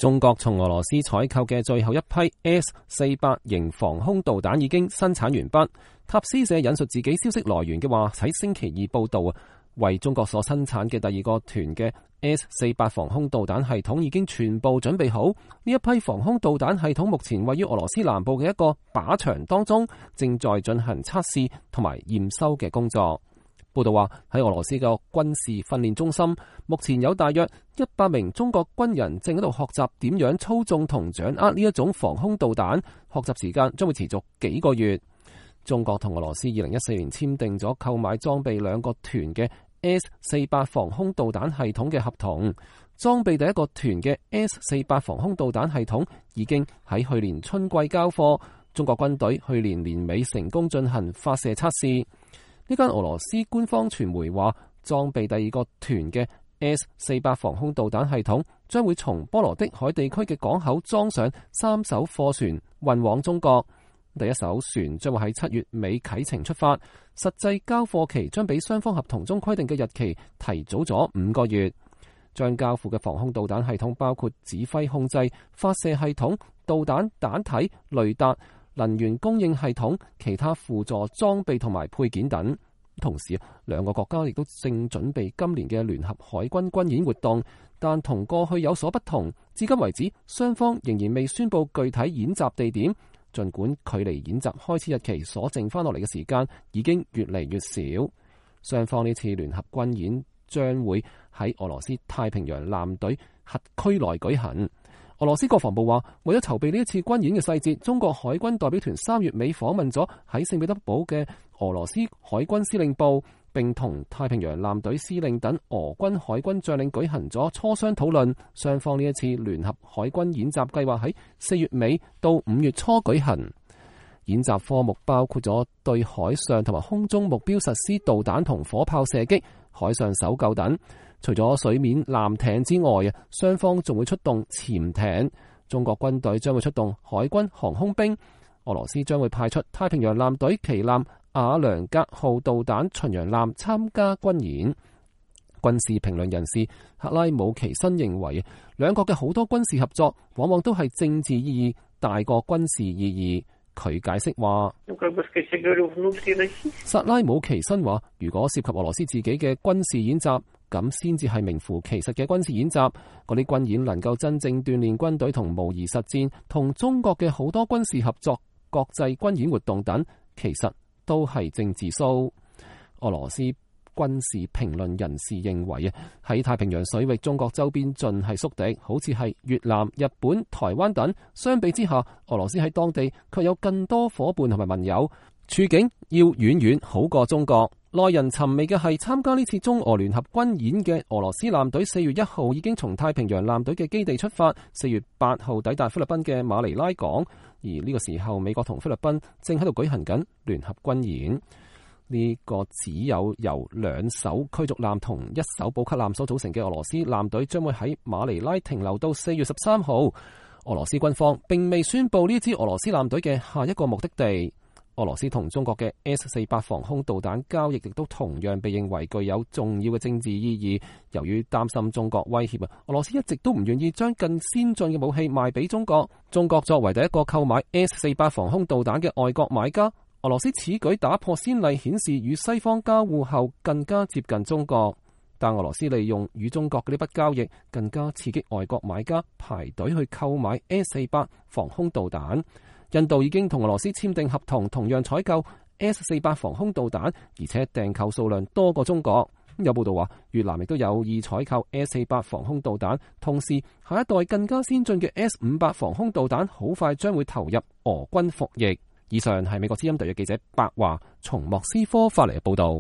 中國從俄羅斯採購嘅最後一批 S-400型防空導彈已經生產完畢。塔斯社引述自己消息來源嘅話，喺星期二報道，為中國所生產嘅第二個團嘅 S-400防空導彈系統已經全部準備好。呢一批防空導彈系統目前位於俄羅斯南部嘅一個靶場當中，正在進行測試同埋驗收嘅工作。報道話，喺俄羅斯嘅軍事訓練中心，目前有大約100名中國軍人正喺度學習點樣操縱同掌握呢一種防空導彈，學習時間將會持續幾個月。中國同俄羅斯2014年簽訂咗購買裝備兩個團嘅 S-400防空導彈系統嘅合同，裝備第一個團嘅 S-400防空導彈系統已經喺去年春季交貨，中國軍隊去年年尾成功進行發射測試。呢間俄羅斯官方傳媒話，裝備第二個團嘅 S-400防空導彈系統將會從波羅的海地區嘅港口裝上3艘貨船運往中國。第一艘船將會喺7月尾啟程出發，實際交貨期將比雙方合同中規定嘅日期提早咗5個月。將交付嘅防空導彈系統包括指揮控制、發射系統、導彈彈體、雷達、能源供應系統、其他輔助裝備同埋配件等。同時，兩個國家亦都正準備今年嘅聯合海軍軍演活動，但同過去有所不同。至今為止，雙方仍然未宣布具體演習地點。儘管距離演習開始日期所剩翻落嚟嘅時間已經越嚟越少，雙方呢次聯合軍演將會喺俄羅斯太平洋艦隊轄區內舉行。俄羅斯國防部話，為咗籌備呢一次軍演嘅細節，中國海軍代表團3月尾訪問咗喺聖彼得堡嘅俄羅斯海軍司令部，並同太平洋艦隊司令等俄軍海軍將領舉行咗磋商討論。雙方呢一次聯合海軍演習計劃喺4月尾到5月初舉行。演習科目包括咗對海上同埋空中目標實施導彈同火炮射擊、海上搜救等。除咗水面艦艇之外，雙方仲會出動潛艇。中國軍隊將會出動海軍航空兵。俄羅斯將會派出太平洋艦隊旗艦瓦良格號導彈巡洋艦參加軍演。軍事評論人士克拉姆奇申認為，兩國嘅好多軍事合作往往都係政治意義大過軍事意義。佢解釋話，薩拉姆奇申話，如果涉及俄羅斯自己嘅軍事演習，咁先至係名副其實嘅軍事演習。嗰啲軍演能夠真正鍛煉軍隊同模擬實戰，同中國嘅好多軍事合作、國際軍演活動等，其實都係政治騷。俄羅斯軍事評論人士認為，喺太平洋水域，中國周邊盡係宿敵，好似係越南、日本、台灣等。相比之下，俄羅斯喺當地卻有更多伙伴同埋盟友，處境要遠遠好過中國。耐人尋味嘅係，參加呢次中俄聯合軍演嘅俄羅斯艦隊4月1號已經從太平洋艦隊嘅基地出發，4月8號抵達菲律賓嘅馬尼拉港。而呢個時候，美國同菲律賓正喺度舉行緊聯合軍演。呢個只有由2艘驅逐艦同1艘補給艦所組成嘅俄羅斯艦隊將會喺馬尼拉停留到4月13號。俄羅斯軍方並未宣布呢支俄羅斯艦隊嘅下一個目的地。俄羅斯同中國嘅 S-400防空導彈交易亦都同樣被認為具有重要嘅政治意義。由於擔心中國威脅，俄羅斯一直都唔願意將更先進嘅武器賣俾中國。中國作為第一個購買 S-400防空導彈嘅外國買家，俄羅斯此舉打破先例，顯示與西方交互後更加接近中國。但俄羅斯利用與中國嘅呢筆交易，更加刺激外國買家排隊去購買 S-400防空導彈。印度已經同俄羅斯簽訂合同，同樣採購 S-400防空導彈，而且訂購數量多過中國。有報道話，越南亦都有意採購 S-400防空導彈，同時下一代更加先進嘅 S-500防空導彈好快將會投入俄軍服役。以上係美國之音特約記者白華從莫斯科發嚟嘅報道。